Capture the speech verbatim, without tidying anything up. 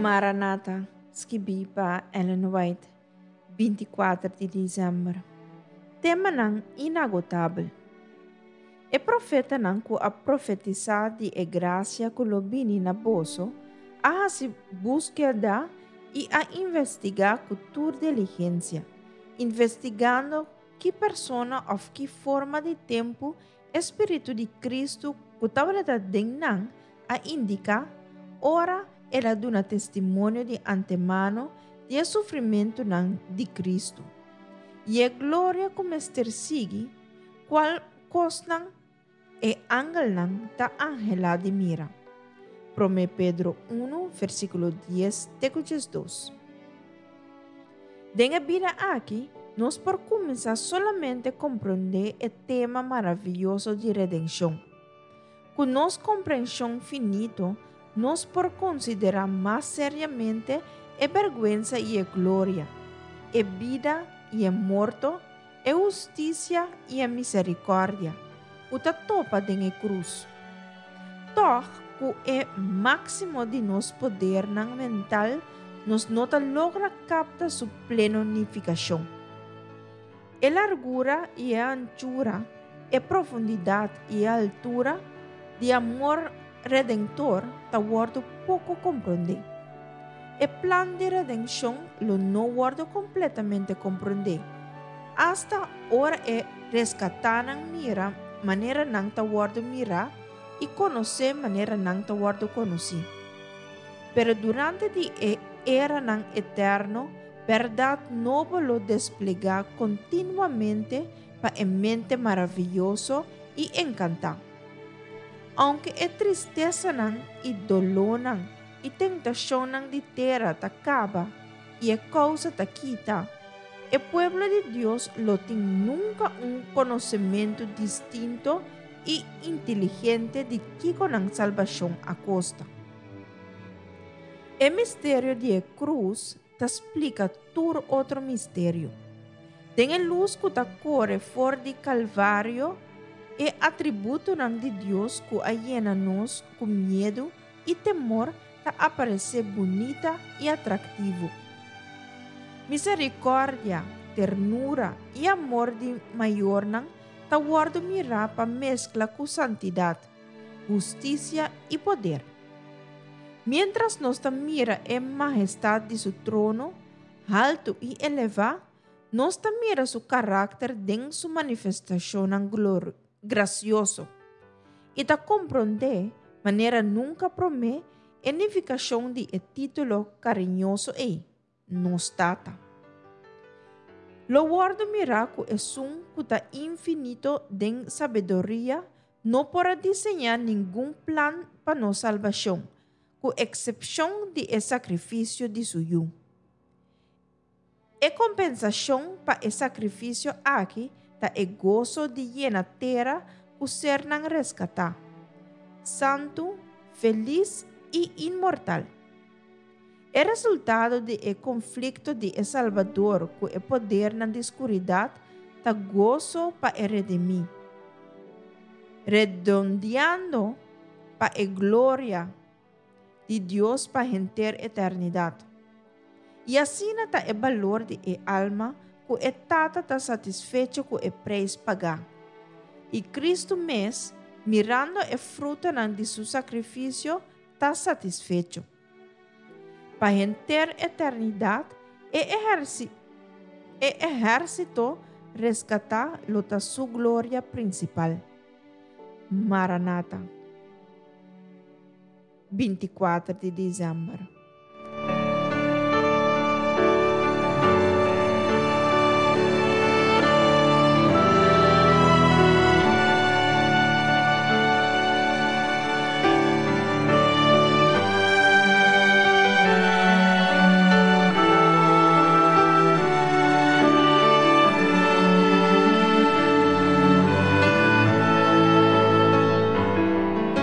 Maranata, skibí pa Ellen White, binti kuater di desèmber. Temanan inagotabel. E profetanan ku a profetisá di e grasia ku lo bini na boso, a hasi búskeda i a investigá ku tur diligensia, investigando ki persona òf ki forma di tempu e Spiritu di Kristu ku tabata den nan a indiká ora el a duna testimonio di antemano di e sufrimentunan di Kristu i e gloria ku mester sigui, kual kosnan e angelnan ta anhelá di mira. Promé Pedro un, versíkulo dies te ku diesdos. Den e bida aki, nos por kuminsá solamente komprondé e tema maravioso di redenshon. Ku nos komprenshon finito, nos por konsiderá mas seriamente e bèrgwensa i e gloria, e bida i e morto, e hustisia i e miserikòrdia, ku ta topa den e krus. Tòg, ku e máksimo di nos podernan mental, nos no ta logra kapta su pleno nifikashon. E largura i e anchura, e profundidat i e altura di amor redentor ta wòrdu poko komprondé. E plan di redenshon lo no wòrdu kompletamente komprondé, asta ora e reskatánan mira manera nan ta wòrdu mirá i konosé manera nan ta wòrdu konosí. Pero durante di e eranan eterno, bèrdat nobo lo desplegá kontinuamente pa e mente maravioso i enkantá. Ounke e tristesanan i dolónan i tentashonnan di tera ta kaba i e kousa ta kita, e pueblo di Dios lo tin nunka un konosementu distinto i inteligente di kiko nan salbashon a kosta. E misterio di e krus ta splika tur otro misterio. Den e lus ku ta kore for di Kalvario, e atributonan di Dios ku a yena nos ku miedu i temor ta aparesé bunita i atraktivo. Miserikòrdia, ternura i amor di mayornan ta wòrdu mirá pa meskla ku santidat, hustisia i poder. Miéntras nos ta mira e mahestat di su trono, haltu i elevá, nos ta mira su karakter den su manifestashonnan grasioso i ta komprondé manera nunka promé e nifikashon di e título kariñoso ei, Nos Tata. Lo wòrdu mirá ku esun ku ta infinito den sabiduria no por a diseñá ningun plan pa nos salbashon, ku eksepshon di e sakrifisio di su Yu. E kompensashon pa e sakrifisio aki ta e goso di yena tera ku sernan reskatá, santu, felis i inmortal. E resultado di e konflikto di e Salbador ku e podernan di skuridat ta goso pa e redimí, redondeando pa e gloria di Dios pa henter eternidat. I asina ta e balor di e alma ku e Tata ta satisfecho ku e preis pagá. I Kristu mes, mirando e frutanan di su sakrifisio, ta satisfecho. Pa henter eternidat, e e ehérsito reskatá lo ta su gloria prinsipal. Maranata. Binti kuater di desèmber.